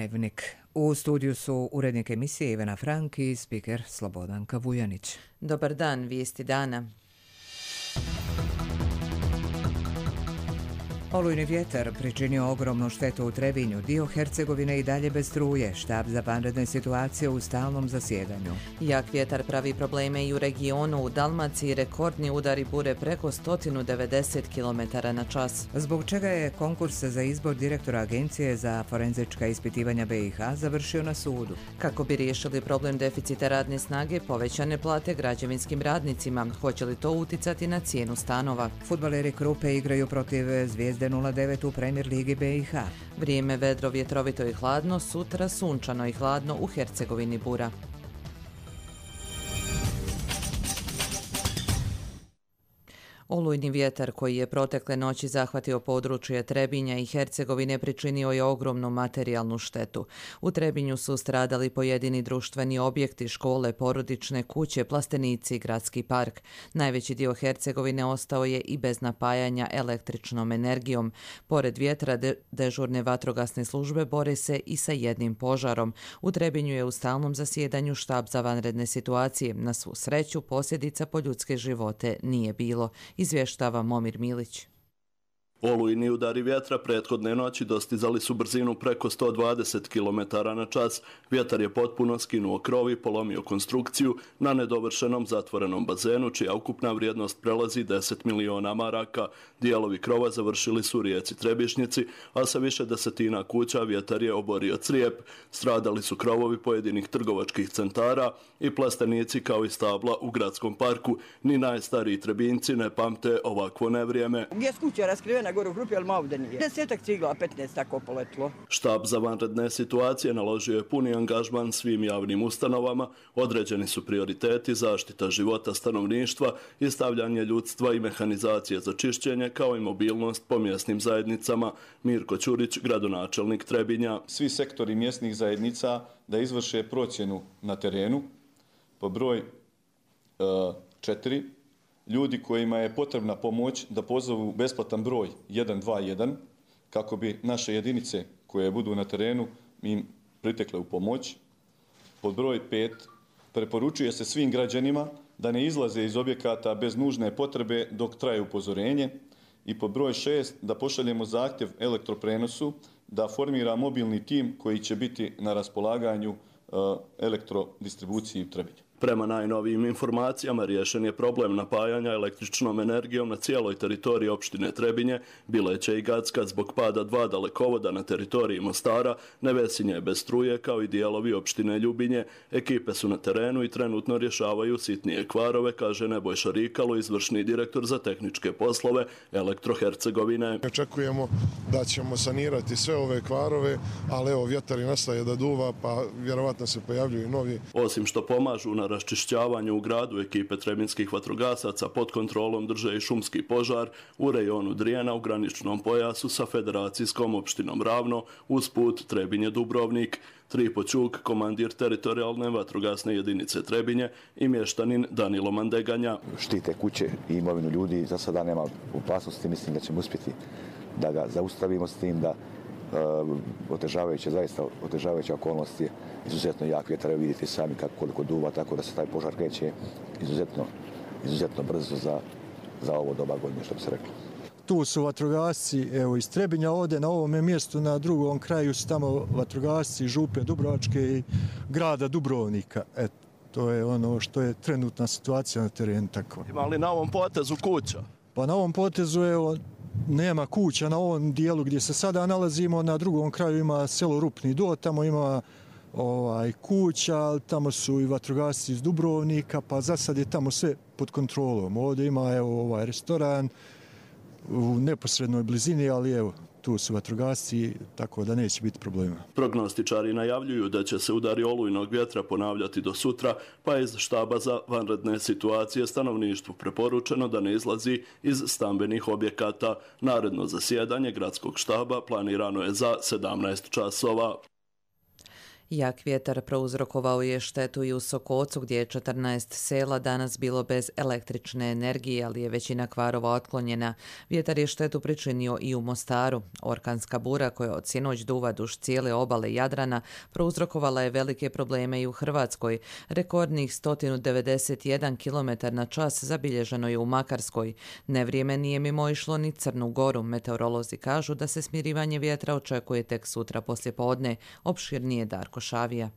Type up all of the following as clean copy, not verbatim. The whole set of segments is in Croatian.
Dnevnik. U studiju su urednik emisije Ivana Frank i spiker Slobodanka Vujanić. Dobar dan, vijesti dana. Olujni vjetar pričinio ogromnu štetu u Trebinju, dio Hercegovine i dalje bez struje, štab za vanredne situacije u stalnom zasjedanju. Jak vjetar pravi probleme i u regionu, u Dalmaciji rekordni udari bure preko 190 km na čas. Zbog čega je konkurs za izbor direktora Agencije za forenzička ispitivanja BiH završio na sudu. Kako bi riješili problem deficita radne snage, povećane plate građevinskim radnicima. Hoće li to uticati na cijenu stanova? Fudbaleri Krupe igraju protiv Zvijezde 09 u Premier ligi BiH. Vrijeme vedro, vjetrovito i hladno, sutra sunčano i hladno u Hercegovini bura. Olujni vjetar koji je protekle noći zahvatio područje Trebinja i Hercegovine pričinio je ogromnu materijalnu štetu. U Trebinju su stradali pojedini društveni objekti, škole, porodične kuće, plastenici i gradski park. Najveći dio Hercegovine ostao je i bez napajanja električnom energijom. Pored vjetra, dežurne vatrogasne službe bore se i sa jednim požarom. U Trebinju je u stalnom zasjedanju štab za vanredne situacije. Na svu sreću, posljedica po ljudske živote nije bilo. Izvještava Momir Milić. Olujni udari vjetra prethodne noći dostizali su brzinu preko 120 km na čas. Vjetar je potpuno skinuo krov i polomio konstrukciju na nedovršenom zatvorenom bazenu, čija ukupna vrijednost prelazi 10 miliona maraka. Dijelovi krova završili su u rijeci Trebišnjici, a sa više desetina kuća vjetar je oborio crijep. Stradali su krovovi pojedinih trgovačkih centara i plastenici kao i stabla u gradskom parku. Ni najstariji Trebinjci ne pamte ovakvo nevrijeme. Gdje je kuća raskrivena gore u grupi, ali ovdje nije. 10 cigla, 15 tako poletilo. Štab za vanredne situacije naložio je puni angažman svim javnim ustanovama, određeni su prioriteti zaštita života stanovništva i stavljanje ljudstva i mehanizacije za čišćenje, kao i mobilnost po mjesnim zajednicama. Mirko Ćurić, gradonačelnik Trebinja. Svi sektori mjesnih zajednica da izvrše procjenu na terenu po broj 4, ljudi kojima je potrebna pomoć da pozovu besplatan broj 121 kako bi naše jedinice koje budu na terenu im pritekle u pomoć. Pod broj 5, preporučuje se svim građanima da ne izlaze iz objekata bez nužne potrebe dok traje upozorenje. I pod broj 6, da pošaljemo zahtjev elektroprenosu da formira mobilni tim koji će biti na raspolaganju elektrodistribuciji u Trebinju. Prema najnovijim informacijama riješen je problem napajanja električnom energijom na cijeloj teritoriji opštine Trebinje, Bileće i Gacka zbog pada 2 dalekovoda na teritoriji Mostara, Nevesinje je bez struje kao i dijelovi opštine Ljubinje. Ekipe su na terenu i trenutno rješavaju sitnije kvarove, kaže Nebojša Rikalo, izvršni direktor za tehničke poslove Elektro Hercegovine. Očekujemo da ćemo sanirati sve ove kvarove, ali evo vjetar nastaje da duva, pa vjerovatno se pojavljuju novi. Osim što pomažu na raščišćavanju u gradu, ekipe trebinskih vatrogasaca pod kontrolom drže i šumski požar u rejonu Drijena u graničnom pojasu sa federacijskom opštinom Ravno, uz put Trebinje-Dubrovnik. Tripo Ćuk, komandir teritorijalne vatrogasne jedinice Trebinje i mještanin Danilo Mandeganja. Štite kuće i imovinu ljudi, za sada nema opasnosti, mislim da ćemo uspjeti da ga zaustavimo s tim da otežavajuća okolnost je izuzetno jak vjetar, vidite sami koliko duva, tako da se taj požar kreće izuzetno brzo za ovo doba godine, što bi se reklo. Tu su vatrogasci, evo iz Trebinja, ovdje na ovome mjestu, na drugom kraju su tamo vatrogasci Župe Dubrovačke i grada Dubrovnika. To je ono što je trenutna situacija na terenu. Tako. Ima li na ovom potezu kuća? Pa na ovom potezu evo, nema kuća na ovom dijelu gdje se sada nalazimo, na drugom kraju ima selo Rupni Do, tamo ima kuća, tamo su i vatrogasci iz Dubrovnika, pa za sad je tamo sve pod kontrolom. Ovdje ima evo restoran u neposrednoj blizini, ali evo tu su vatrogasci, tako da neće biti problema. Prognostičari najavljuju da će se udari olujnog vjetra ponavljati do sutra, pa je iz štaba za vanredne situacije stanovništvu preporučeno da ne izlazi iz stambenih objekata. Naredno zasjedanje gradskog štaba planirano je za 17 časova. Jak vjetar prouzrokovao je štetu i u Sokocu gdje je 14 sela danas bilo bez električne energije, ali je većina kvarova otklonjena. Vjetar je štetu pričinio i u Mostaru. Orkanska bura koja od sinoć duva duž cijele obale Jadrana prouzrokovala je velike probleme i u Hrvatskoj. Rekordnih 191 km/h zabilježeno je u Makarskoj. Nevrijeme nije mimo išlo ni Crnu Goru. Meteorolozi kažu da se smirivanje vjetra očekuje tek sutra poslijepodne. Opširnije Darko Šavija.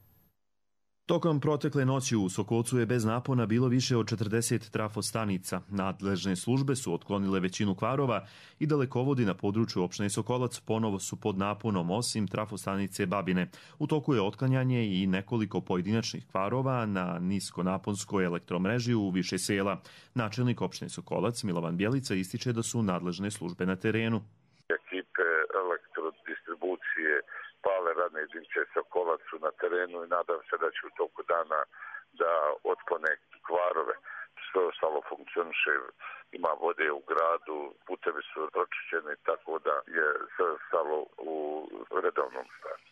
Tokom protekle noći u Sokocu je bez napona bilo više od 40 trafostanica. Nadležne službe su otklonile većinu kvarova i dalekovodi na području opštine Sokolac ponovo su pod naponom osim trafostanice Babine. U toku je otklanjanje i nekoliko pojedinačnih kvarova na niskonaponskoj elektromreži u više sela. Načelnik opštine Sokolac Milovan Bjelica ističe da su nadležne službe na terenu. Ekipe elektrodistribucije Pale radne jedinice Sokolac su na terenu i nadam se da će u toku dana da otklone kvarove. Sve ostalo funkcioniše, ima vode u gradu, putevi su pročišćeni, tako da je sve ostalo u redovnom stanju.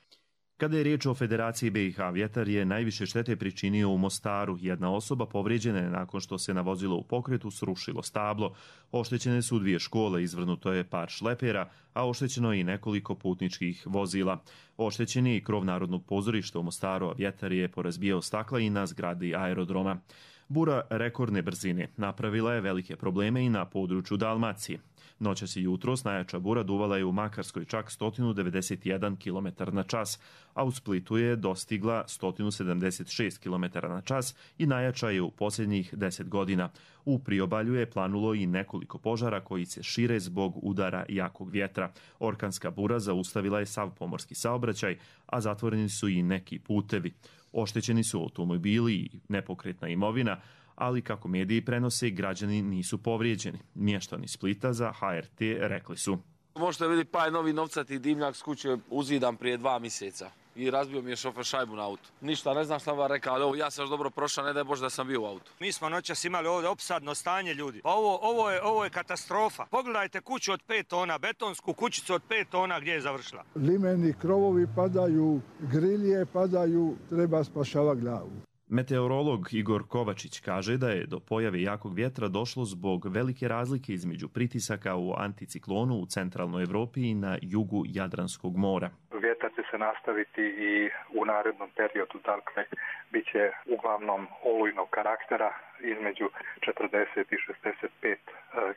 Kada je riječ o Federaciji BiH, vjetar je najviše štete pričinio u Mostaru. Jedna osoba povrijeđena je nakon što se na vozilo u pokretu srušilo stablo. Oštećene su 2 škole, izvrnuto je par šlepera, a oštećeno je i nekoliko putničkih vozila. Oštećen je i krov Narodnog pozorišta u Mostaru, a vjetar je porazbijao stakla i na zgradi aerodroma. Bura rekordne brzine napravila je velike probleme i na području Dalmacije. Noćas i jutros najjača bura duvala je u Makarskoj čak 191 km/h, a u Splitu je dostigla 176 km/h i najjača je u posljednjih 10 godina. U priobalju je planulo i nekoliko požara koji se šire zbog udara jakog vjetra. Orkanska bura zaustavila je sav pomorski saobraćaj, a zatvoreni su i neki putevi. Oštećeni su automobili i nepokretna imovina, ali kako mediji prenose, građani nisu povrijeđeni. Mještani Splita za HRT rekli su: Možete vidjeti pa je novi novcati dimnjak s kuće uzidan prije 2 mjeseca i razbio mi je šofer šajbu na auto. Ništa, ne znam šta vam rekao, ali ja sam još dobro prošao, ne daj Bože da sam bio u autu. Mi smo noćas imali ovdje opsadno stanje, ljudi. Ovo je katastrofa. Pogledajte kuću od 5 tona, betonsku kućicu od 5 tona gdje je završila. Limeni krovovi padaju, grilje padaju, treba spašavati glavu. Meteorolog Igor Kovačić kaže da je do pojave jakog vjetra došlo zbog velike razlike između pritisaka u anticiklonu u centralnoj Evropi i na jugu Jadranskog mora. Vjetar će se nastaviti i u narednom periodu, dakle, bit će uglavnom olujnog karaktera između 40 i 65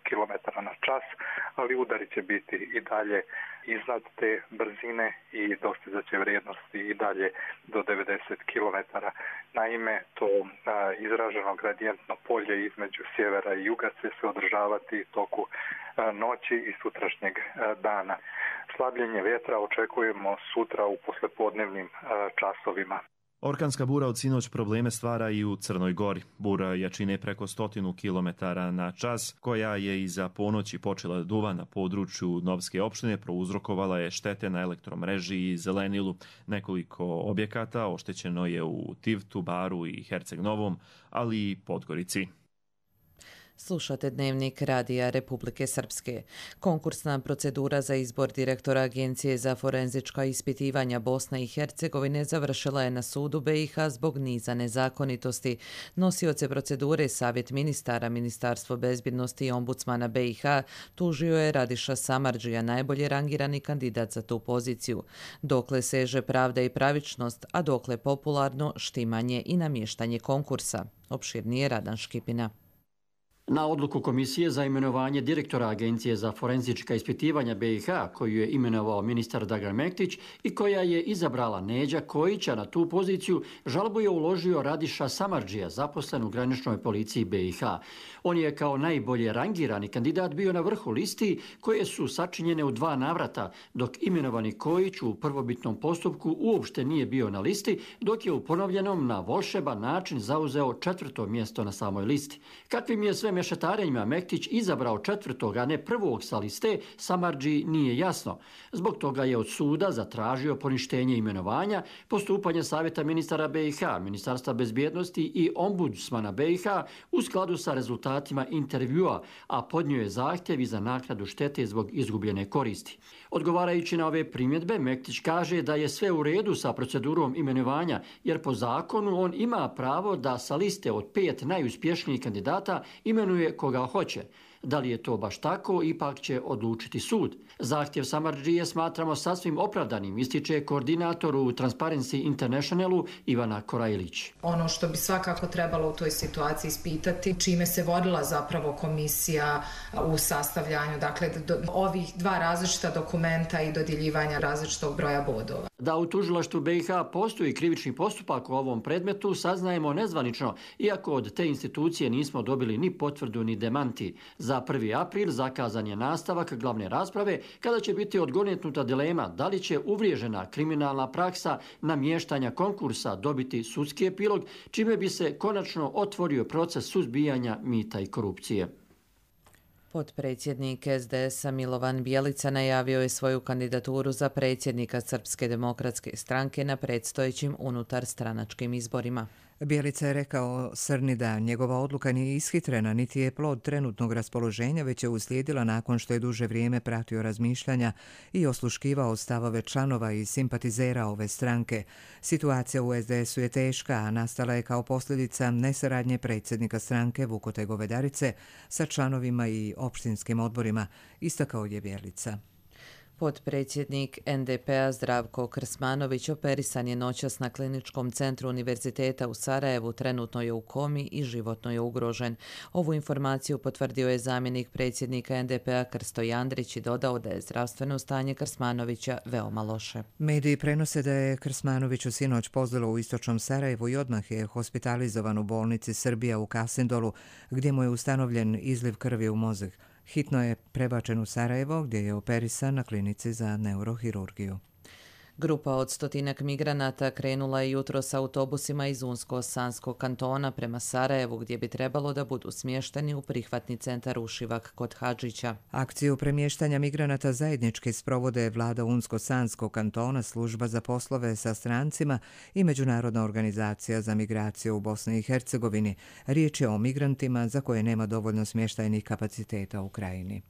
km/h, ali udari će biti i dalje iznad te brzine i dostizat će vrijednosti i dalje do 90 km. Naime, to izraženo gradijentno polje između sjevera i juga će se održavati toku noći i sutrašnjeg dana. Slabljenje vjetra očekujemo sutra u poslijepodnevnim časovima. Orkanska bura od sinoć probleme stvara i u Crnoj Gori. Bura jačine preko 100 km/h, koja je iza ponoći počela da duva na području Novske opštine, prouzrokovala je štete na elektromreži i zelenilu. Nekoliko objekata oštećeno je u Tivtu, Baru i Herceg Novom, ali i Podgorici. Slušate Dnevnik Radija Republike Srpske. Konkursna procedura za izbor direktora Agencije za forenzička ispitivanja Bosne i Hercegovine završila je na sudu BiH zbog niza nezakonitosti. Nosioce procedure Savjet ministara, Ministarstvo bezbjednosti i ombudsmana BiH tužio je Radiša Samardžija, najbolje rangirani kandidat za tu poziciju. Dokle seže pravda i pravičnost, a dokle popularno štimanje i namještanje konkursa. Opširnije Radan Škipina. Na odluku Komisije za imenovanje direktora Agencije za forenzička ispitivanja BiH, koju je imenovao ministar Dragan Mektić i koja je izabrala Neđa Kojića na tu poziciju, žalbu je uložio Radiša Samardžija, zaposlen u graničnoj policiji BiH. On je kao najbolje rangirani kandidat bio na vrhu listi koje su sačinjene u 2 navrata, dok imenovani Kojić u prvobitnom postupku uopšte nije bio na listi, dok je u ponovljenom na volšeban način zauzeo 4. mjesto na samoj listi. Kakvim je sve mešetarenjima Mektić izabrao 4. a ne 1. sa liste, Samardži nije jasno. Zbog toga je od suda zatražio poništenje imenovanja, postupanje Savjeta ministara BiH, Ministarstva bezbjednosti i ombudsmana BiH u skladu sa rezultatima intervjua, a podnio je zahtjev i za naknadu štete zbog izgubljene koristi. Odgovarajući na ove primjedbe, Mektić kaže da je sve u redu sa procedurom imenovanja, jer po zakonu on ima pravo da sa liste od 5 najuspješnijih kandidata imenuje koga hoće. Da li je to baš tako, ipak će odlučiti sud. Zahtjev Samardžije smatramo sasvim opravdanim, ističe koordinator u Transparency Internationalu Ivana Korajlić. Ono što bi svakako trebalo u toj situaciji ispitati, čime se vodila zapravo komisija u sastavljanju, dakle, ovih 2 različita dokumenta i dodjeljivanja različitog broja bodova. Da u tužilaštvu BiH postoji krivični postupak u ovom predmetu saznajemo nezvanično, iako od te institucije nismo dobili ni potvrdu ni demanti. Za 1. april zakazan je nastavak glavne rasprave kada će biti odgonetnuta dilema da li će uvriježena kriminalna praksa namještanja konkursa dobiti sudski epilog, čime bi se konačno otvorio proces suzbijanja mita i korupcije. Potpredsjednik SDS-a Milovan Bjelica najavio je svoju kandidaturu za predsjednika Srpske demokratske stranke na predstojećim unutarstranačkim izborima. Bjelica je rekao Srni da njegova odluka nije ishitrena, niti je plod trenutnog raspoloženja, već je uslijedila nakon što je duže vrijeme pratio razmišljanja i osluškivao stavove članova i simpatizera ove stranke. Situacija u SDS-u je teška, a nastala je kao posljedica nesaradnje predsjednika stranke Vukote Govedarice sa članovima i opštinskim odborima, istakao je Bjelica. Potpredsjednik NDP-a Zdravko Krsmanović operisan je noćas na Kliničkom centru Univerziteta u Sarajevu, trenutno je u komi i životno je ugrožen. Ovu informaciju potvrdio je zamjenik predsjednika NDP-a Krsto Jandrić i dodao da je zdravstveno stanje Krsmanovića veoma loše. Mediji prenose da je Krsmanoviću sinoć pozlilo u istočnom Sarajevu i odmah je hospitalizovan u bolnici Srbija u Kasindolu, gdje mu je ustanovljen izliv krvi u mozak. Hitno je prebačen u Sarajevo, gdje je operisan na klinici za neurohirurgiju. Grupa od 100 migranata krenula je jutros s autobusima iz Unsko-Sanskog kantona prema Sarajevu, gdje bi trebalo da budu smješteni u prihvatni centar Ušivak kod Hadžića. Akciju premještanja migranata zajednički sprovode vlada Unsko-Sanskog kantona, služba za poslove sa strancima i Međunarodna organizacija za migraciju u Bosni i Hercegovini. Riječ je o migrantima za koje nema dovoljno smještajnih kapaciteta u krajini.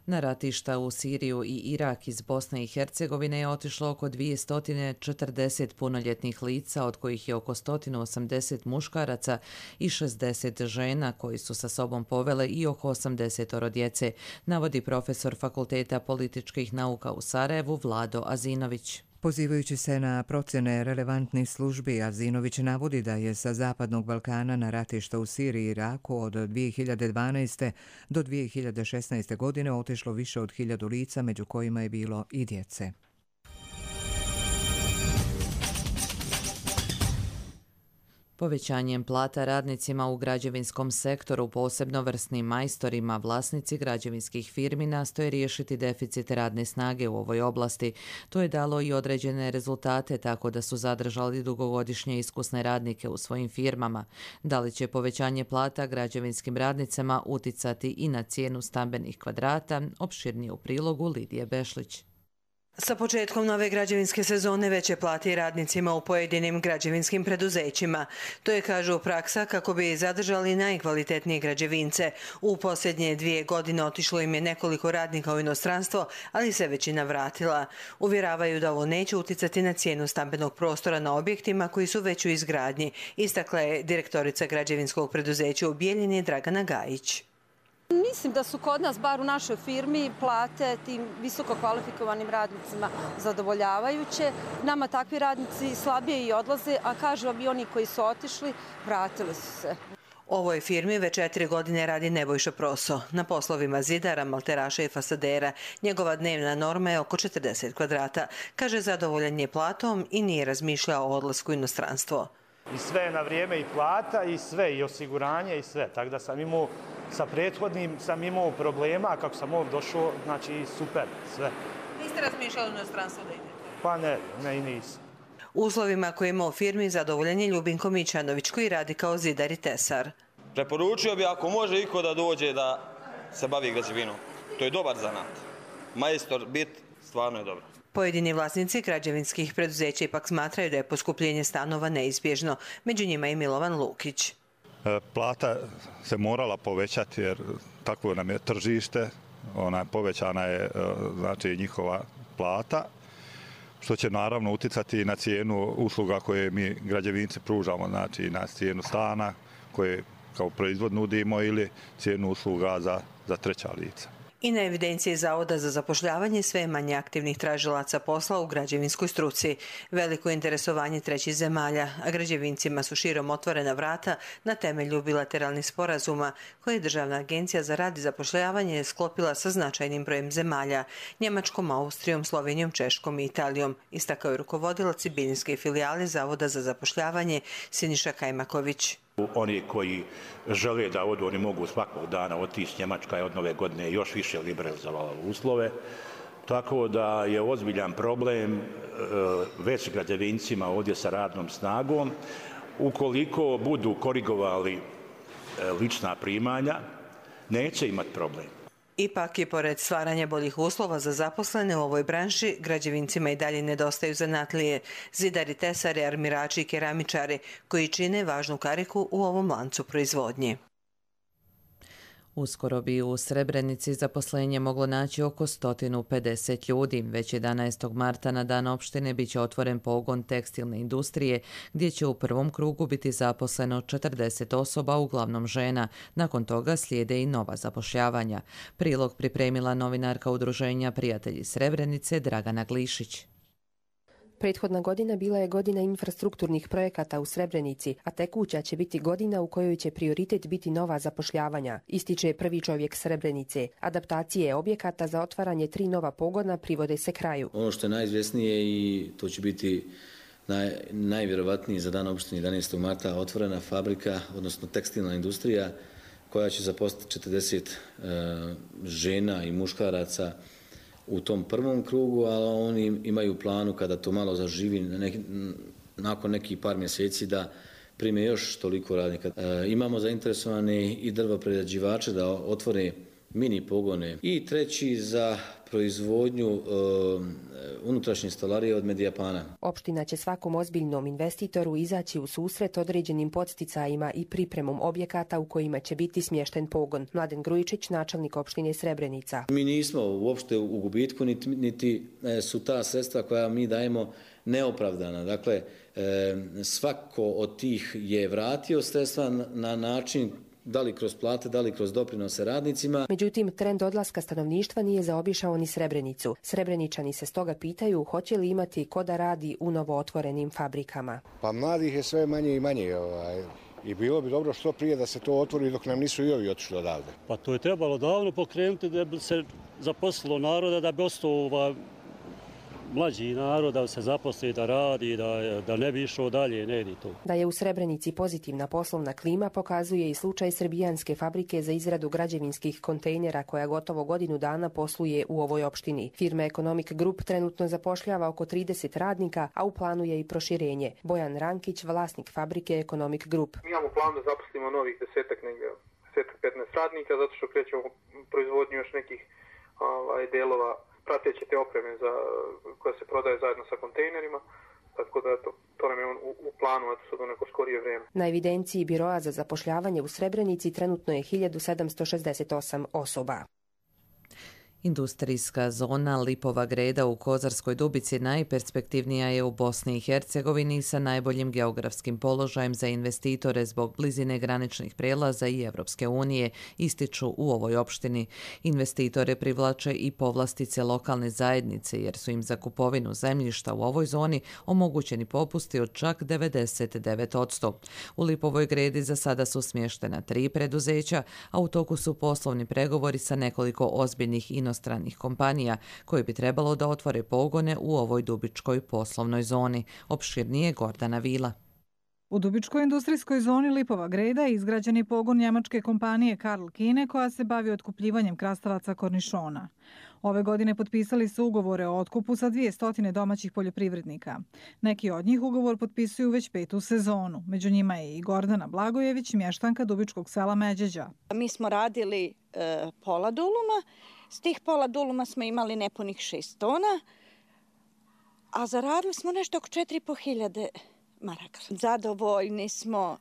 Na ratišta u Siriju i Irak iz Bosne i Hercegovine je otišlo oko 240 punoljetnih lica, od kojih je oko 180 muškaraca i 60 žena koji su sa sobom povele i oko 80 djece, navodi profesor Fakulteta političkih nauka u Sarajevu Vlado Azinović. Pozivajući se na procjene relevantnih službi, Azinović navodi da je sa Zapadnog Balkana na ratišta u Siriji i Iraku od 2012. do 2016. godine otišlo više od 1000 lica, među kojima je bilo i djece. Povećanjem plata radnicima u građevinskom sektoru, posebno vrsnim majstorima, vlasnici građevinskih firmi nastoje riješiti deficit radne snage u ovoj oblasti. To je dalo i određene rezultate, tako da su zadržali dugogodišnje iskusne radnike u svojim firmama. Da li će povećanje plata građevinskim radnicama uticati i na cijenu stambenih kvadrata, opširnije u prilogu Lidije Bešlić. Sa početkom nove građevinske sezone veće plati radnicima u pojedinim građevinskim preduzećima. To je, kažu, praksa kako bi zadržali najkvalitetnije građevince. U posljednje 2 godine otišlo im je nekoliko radnika u inostranstvo, ali se većina vratila. Uvjeravaju da ovo neće uticati na cijenu stambenog prostora na objektima koji su već u izgradnji, istakla je direktorica građevinskog preduzeća u Bijeljini Dragana Gajić. Mislim da su kod nas, bar u našoj firmi, plate tim visoko kvalifikovanim radnicima zadovoljavajuće. Nama takvi radnici slabije i odlaze, a kažu vam i oni koji su otišli, vratili su se. Ovoj firmi već 4 godine radi Nebojša Proso. Na poslovima zidara, malteraša i fasadera. Njegova dnevna norma je oko 40 kvadrata. Kaže, zadovoljan je platom i nije razmišljao o odlasku u inostranstvo. I sve je na vrijeme, i plata, i sve, i osiguranje, i sve. Tako da sam imao, sa prethodnim sam imao problema, a kako sam ovdje došao, znači super, sve. Niste razmišljali u inostranstvo da idete? Pa ne i nisam. Uslovima koje ima u firmi zadovoljan je Ljubinko Mićanović, koji radi kao zidar i tesar. Preporučio bi ako može iko da dođe da se bavi građevinom. To je dobar zanat. Majstor bit stvarno je dobro. Pojedini vlasnici građevinskih preduzeća ipak smatraju da je poskupljenje stanova neizbježno. Među njima i Milovan Lukić. Plata se morala povećati jer takvo nam je tržište. Povećana je znači njihova plata, što će naravno uticati na cijenu usluga koje mi građevinci pružamo, znači na cijenu stana koje kao proizvod nudimo ili cijenu usluga za treća lica. I na evidenciji Zavoda za zapošljavanje sve manje aktivnih tražilaca posla u građevinskoj struci. Veliko interesovanje trećih zemalja, a građevincima su širom otvorena vrata na temelju bilateralnih sporazuma koje je Državna agencija za rad i zapošljavanje sklopila sa značajnim brojem zemalja, Njemačkom, Austrijom, Slovenijom, Češkom i Italijom, istakao je rukovodilac Bijeljinske filijale Zavoda za zapošljavanje Siniša Kajmaković. Oni koji žele da odu, oni mogu svakog dana otići. Njemačka je od nove godine još više liberalizovala uslove. Tako da je ozbiljan problem već građevincima ovdje sa radnom snagom. Ukoliko budu korigovali lična primanja, neće imati problem. Ipak i pored stvaranja boljih uslova za zaposlene u ovoj branši, građevincima i dalje nedostaju zanatlije, zidari, tesari, armirači i keramičari, koji čine važnu kariku u ovom lancu proizvodnje. Uskoro bi u Srebrenici zaposlenje moglo naći oko 150 ljudi. Već 11. marta na dan opštine biće otvoren pogon tekstilne industrije, gdje će u prvom krugu biti zaposleno 40 osoba, uglavnom žena. Nakon toga slijede i nova zapošljavanja. Prilog pripremila novinarka udruženja Prijatelji Srebrenice Dragana Glišić. Prethodna godina bila je godina infrastrukturnih projekata u Srebrenici, a tekuća će biti godina u kojoj će prioritet biti nova zapošljavanja, ističe prvi čovjek Srebrenice. Adaptacije objekata za otvaranje 3 nova pogona privode se kraju. Ono što je najizvjesnije i to će biti najvjerovatnije za dan opštine 11. marta otvorena fabrika, odnosno tekstilna industrija koja će zaposliti 40 žena i muškaraca u tom prvom krugu, ali oni imaju planu kada to malo zaživi nakon nekih par mjeseci da prime još toliko radnika. Imamo zainteresovane i drvoprerađivače da otvore mini pogone i treći za proizvodnju unutrašnje stolarije od Medijapana. Opština će svakom ozbiljnom investitoru izaći u susret određenim podsticajima i pripremom objekata u kojima će biti smješten pogon. Mladen Grujičić, načelnik opštine Srebrenica. Mi nismo uopšte u gubitku, niti su ta sredstva koja mi dajemo neopravdana. Dakle, svako od tih je vratio sredstva na način da li kroz plate, da li kroz doprinose radnicima. Međutim, trend odlaska stanovništva nije zaobišao ni Srebrenicu. Srebreničani se stoga pitaju hoće li imati ko da radi u novootvorenim fabrikama. Pa mladih je sve manje i manje. I bilo bi dobro što prije da se to otvori dok nam nisu i ovi otišli odavde. Pa to je trebalo davno pokrenuti da bi se zaposlilo naroda, da bi ostao mlađi narod da se zaposli, da radi, da ne bi išao dalje, ne ide to. Da je u Srebrenici pozitivna poslovna klima pokazuje i slučaj srbijanske fabrike za izradu građevinskih kontejnera koja gotovo godinu dana posluje u ovoj opštini. Firma Economic Group trenutno zapošljava oko 30 radnika, a u planu je i proširenje. Bojan Rankić, vlasnik fabrike Economic Group. Mi imamo plan da zaposlimo novih 10-15 radnika, zato što krećemo proizvodnju još nekih delova prateće te opreme koja se prodaje zajedno sa kontejnerima, tako da to nam je u planu sad u neko skorije vrijeme. Na evidenciji Biroa za zapošljavanje u Srebrenici trenutno je 1768 osoba. Industrijska zona Lipova Greda u Kozarskoj Dubici najperspektivnija je u Bosni i Hercegovini sa najboljim geografskim položajem za investitore zbog blizine graničnih prijelaza i Evropske unije, ističu u ovoj opštini. Investitore privlače i povlastice lokalne zajednice jer su im za kupovinu zemljišta u ovoj zoni omogućeni popusti od čak 99%. U Lipovoj Gredi za sada su smještena 3 preduzeća, a u toku su poslovni pregovori sa nekoliko ozbiljnih inostranih kompanija koje bi trebalo da otvore pogone u ovoj dubičkoj poslovnoj zoni. Opširnije Gordana Vila. U Dubičkoj industrijskoj zoni Lipova Greda izgrađen je pogon njemačke kompanije Karl Kine koja se bavi otkupljivanjem krastavaca kornišona. Ove godine potpisali su ugovore o otkupu sa 200 domaćih poljoprivrednika. Neki od njih ugovor potpisuju već 5. sezonu. Među njima je i Gordana Blagojević, mještanka Dubičkog sela Međeđa. Mi smo radili pola duluma. S tih pola duluma smo imali nepunih 6 tona, a zaradili smo nešto oko 4.500 maraka. Zadovoljni smo,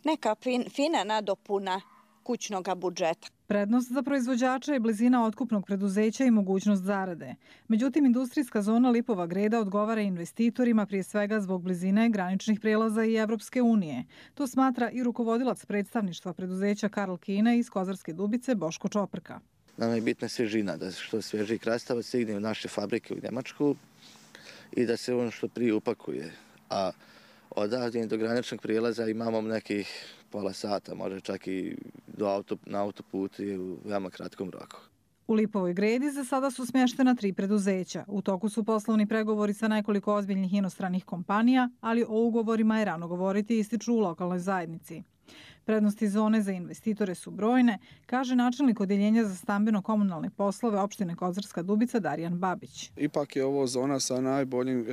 neka fina nadopuna kućnog budžeta. Prednost za proizvođača je blizina otkupnog preduzeća i mogućnost zarade. Međutim, industrijska zona Lipova Greda odgovara investitorima prije svega zbog blizine graničnih prijelaza i Evropske unije. To smatra i rukovodilac predstavništva preduzeća Karl Kine iz Kozarske Dubice Boško Čoprka. Nama je bitna svježina, da što svježi krastavac stigne u naše fabrike u Njemačku i da se on što prije upakuje. A odavdje do graničnog prijelaza imamo nekih pola sata, može čak i na autoputu i u veoma kratkom roku. U Lipovoj Gredi za sada su smještena 3 preduzeća. U toku su poslovni pregovori sa nekoliko ozbiljnih inostranih kompanija, ali o ugovorima je rano govoriti, ističu u lokalnoj zajednici. Prednosti zone za investitore su brojne, kaže načelnik Odjeljenja za stambeno-komunalne poslove opštine Kozarska Dubica Darijan Babić. Ipak je ovo zona sa najboljim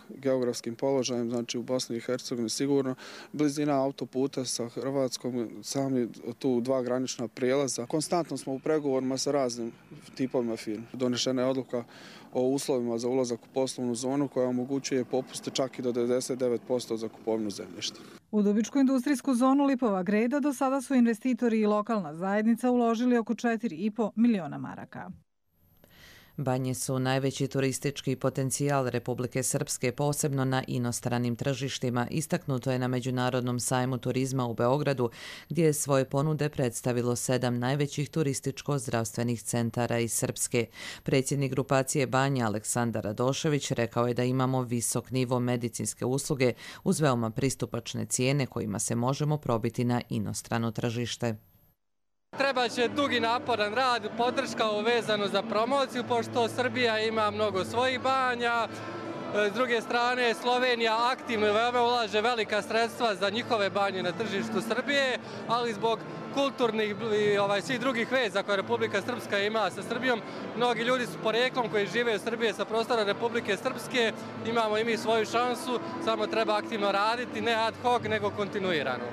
geografskim položajem, znači u Bosni i Hercegovini sigurno. Blizina autoputa sa Hrvatskom, sami tu 2 granična prijelaza. Konstantno smo u pregovorima sa raznim tipovima firmi. Donešena je odluka o uslovima za ulazak u poslovnu zonu koja omogućuje popuste čak i do 99% za kupovinu zemljišta. U Dubičku industrijsku zonu Lipova Greda do sada su investitori i lokalna zajednica uložili oko 4,5 miliona maraka. Banje su najveći turistički potencijal Republike Srpske, posebno na inostranim tržištima. Istaknuto je na Međunarodnom sajmu turizma u Beogradu, gdje je svoje ponude predstavilo 7 najvećih turističko-zdravstvenih centara iz Srpske. Predsjednik grupacije Banja Aleksandar Radošević rekao je da imamo visok nivo medicinske usluge uz veoma pristupačne cijene kojima se možemo probiti na inostrano tržište. Treba će dugi naporan rad, podrška vezano za promociju, pošto Srbija ima mnogo svojih banja. S druge strane, Slovenija aktivno i veoma ulaže velika sredstva za njihove banje na tržištu Srbije, ali zbog kulturnih i svih drugih veza koje Republika Srpska ima sa Srbijom, mnogi ljudi su poreklom koji žive u Srbiji sa prostora Republike Srpske. Imamo i mi svoju šansu, samo treba aktivno raditi, ne ad hoc, nego kontinuirano.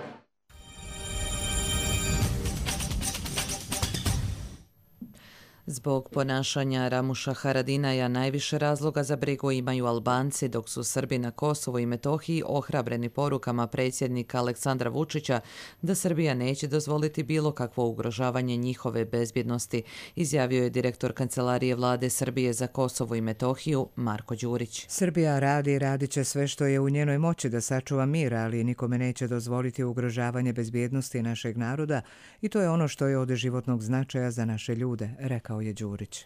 Zbog ponašanja Ramuša Haradinaja najviše razloga za brigu imaju Albanci, dok su Srbi na Kosovu i Metohiji ohrabreni porukama predsjednika Aleksandra Vučića da Srbija neće dozvoliti bilo kakvo ugrožavanje njihove bezbjednosti, izjavio je direktor Kancelarije Vlade Srbije za Kosovo i Metohiju Marko Đurić. Srbija radi i radit će sve što je u njenoj moći da sačuva mir, ali nikome neće dozvoliti ugrožavanje bezbjednosti našeg naroda i to je ono što je od životnog značaja za naše ljude, rekao je Đurić.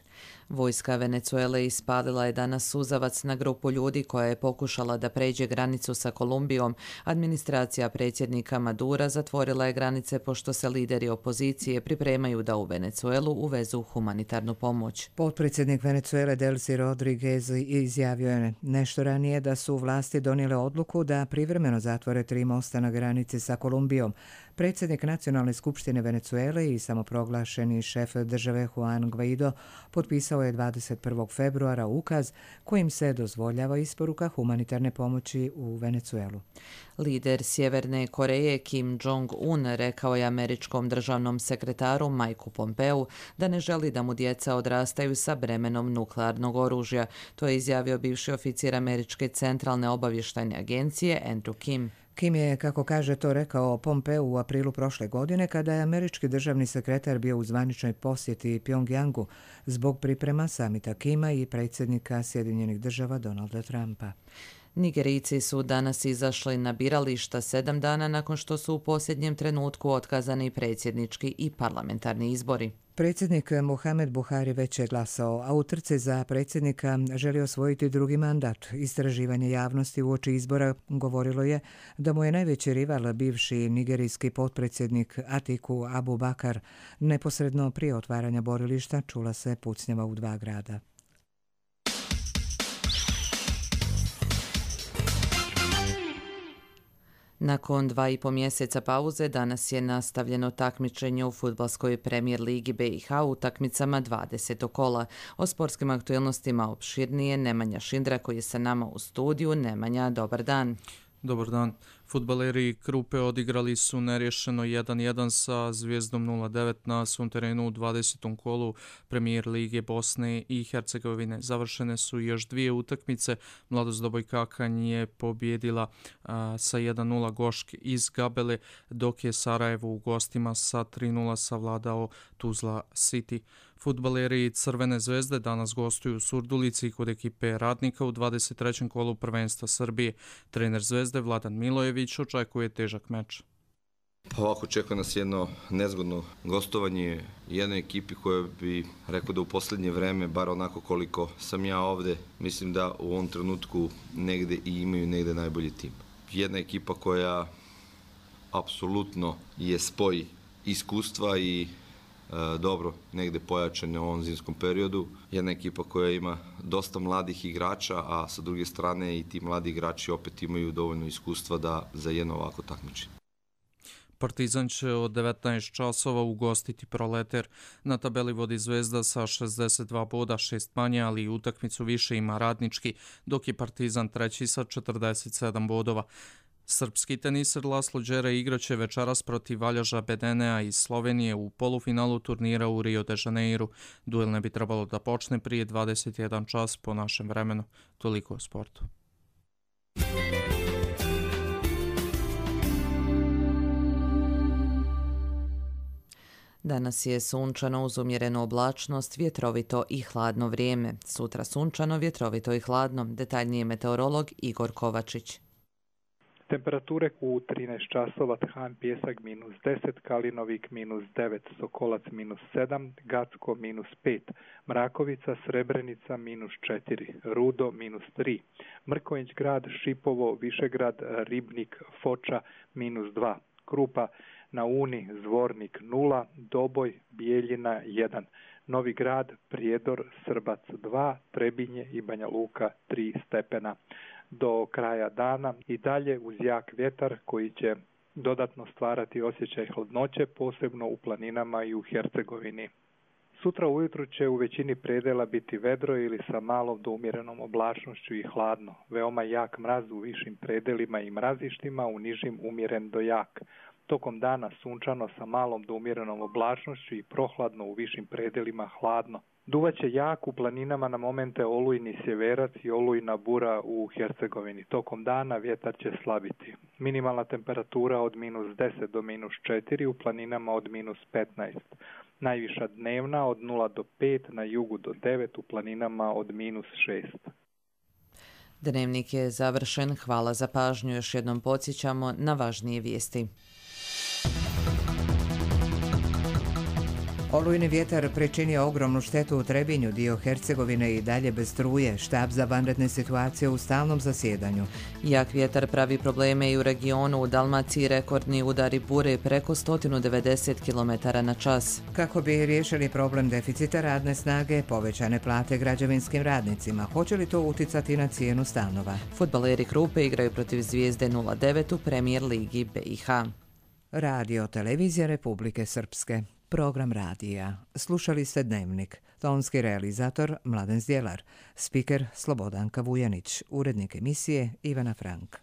Vojska Venecuele ispalila je danas suzavac na grupu ljudi koja je pokušala da pređe granicu sa Kolumbijom. Administracija predsjednika Madura zatvorila je granice pošto se lideri opozicije pripremaju da u Venecuelu uvezu humanitarnu pomoć. Potpredsjednik Venecuele Delcy Rodriguez izjavio je nešto ranije da su vlasti donijele odluku da privremeno zatvore 3 mosta na granici sa Kolumbijom. Predsjednik Nacionalne skupštine Venecuele i samoproglašeni šef države Juan Guaido potpisao je 21. februara ukaz kojim se dozvoljava isporuka humanitarne pomoći u Venecuelu. Lider Sjeverne Koreje Kim Jong-un rekao je američkom državnom sekretaru Mikeu Pompeu da ne želi da mu djeca odrastaju sa bremenom nuklearnog oružja. To je izjavio bivši oficir Američke centralne obavještajne agencije Andrew Kim. Kim je, kako kaže, to rekao Pompeu u aprilu prošle godine kada je američki državni sekretar bio u zvaničnoj posjeti Pjongjangu zbog priprema samita Kima i predsjednika Sjedinjenih država Donalda Trumpa. Nigerijci su danas izašli na birališta 7 dana nakon što su u posljednjem trenutku otkazani predsjednički i parlamentarni izbori. Predsjednik Muhammad Buhari već je glasao, a u trci za predsjednika želi osvojiti drugi mandat. Istraživanje javnosti uoči izbora govorilo je da mu je najveći rival bivši nigerijski potpredsjednik Atiku Abubakar. Neposredno prije otvaranja borilišta čula se pucnjava u 2 grada. Nakon 2,5 mjeseca pauze danas je nastavljeno takmičenje u fudbalskoj premijer ligi BiH u utakmicama 20. kola. O sportskim aktualnostima opširnije Nemanja Šindra koji je sa nama u studiju. Nemanja, dobar dan. Dobar dan. Fudbaleri Krupe odigrali su nerješeno 1-1 sa Zvijezdom 0-9 na svom terenu u 20. kolu premijer lige Bosne i Hercegovine. Završene su još dvije utakmice. Mladost Doboj Kakanj je pobjedila sa 1-0 Gošk iz Gabele, dok je Sarajevo u gostima sa 3-0 savladao Tuzla City. Fudbaleri Crvene zvezde danas gostuju u Surdulici kod ekipe Radnika u 23. kolu prvenstva Srbije. Trener Zvezde Vladan Milojević očekuje težak meč. Ovako čeka nas jedno nezgodno gostovanje jednoj ekipi koja bi rekao da u posljednje vreme, bar onako koliko sam ja ovde, mislim da u ovom trenutku negde i imaju negde najbolji tim. Jedna ekipa koja apsolutno je spoj iskustva i dobro negde pojačane u ovom zimskom periodu. Jedna ekipa koja ima dosta mladih igrača, a sa druge strane i ti mladi igrači opet imaju dovoljno iskustva za jedno ovako takmičenje. Partizan će od 19 časova ugostiti Proleter. Na tabeli vodi Zvezda sa 62 boda, 6 manje, ali utakmicu više ima Radnički, dok je Partizan treći sa 47 bodova. Srpski teniser Laslo Đere igraće večeras protiv Valjaža Bedenea iz Slovenije u polufinalu turnira u Rio de Janeiru. Duel ne bi trebalo da počne prije 21 čas po našem vremenu. Toliko o sportu. Danas je sunčano uz umjerenu oblačnost, vjetrovito i hladno vrijeme. Sutra sunčano, vjetrovito i hladno. Detaljnije meteorolog Igor Kovačić. Temperature u 13 časova Than Pjesak -10, Kalinovik -9, Sokolac -7, Gacko -5, Mrakovica, Srebrenica -4, Rudo -3, Mrkonjić grad, Šipovo, Višegrad, Ribnik, Foča -2, Krupa, na Uni, Zvornik 0, Doboj, Bijeljina 1, Novi Grad, Prijedor, Srbac 2, Trebinje i Banja Luka 3 stepena. Do kraja dana i dalje uz jak vjetar koji će dodatno stvarati osjećaj hladnoće, posebno u planinama i u Hercegovini. Sutra ujutru će u većini predela biti vedro ili sa malom do umjerenom oblačnošću i hladno. Veoma jak mraz u višim predelima i mrazištima, u nižim umjeren do jak. Tokom dana sunčano sa malom do umjerenom oblačnošću i prohladno u višim predelima hladno. Duvaće jak u planinama na momente olujni sjeverac i olujna bura u Hercegovini. Tokom dana vjetar će slabiti. Minimalna temperatura od -10 do -4, u planinama od -15. Najviša dnevna od 0 do 5, na jugu do 9, u planinama od -6. Dnevnik je završen. Hvala za pažnju. Još jednom podsjećamo na važnije vijesti. Olujni vjetar pričinio ogromnu štetu u Trebinju, dio Hercegovine i dalje bez struje, štab za vanredne situacije u stalnom zasjedanju. Jak vjetar pravi probleme i u regionu, u Dalmaciji rekordni udari bure preko 190 km na čas. Kako bi riješili problem deficita radne snage, povećane plate građevinskim radnicima, hoće li to uticati na cijenu stanova? Fudbaleri Krupe igraju protiv Zvijezde 0-9 u premijer ligi BiH. Radio Televizija Republike Srpske. Program radija. Slušali ste Dnevnik. Tonski realizator Mladen Zdjelar. Spiker Slobodanka Vujanić. Urednik emisije Ivana Frank.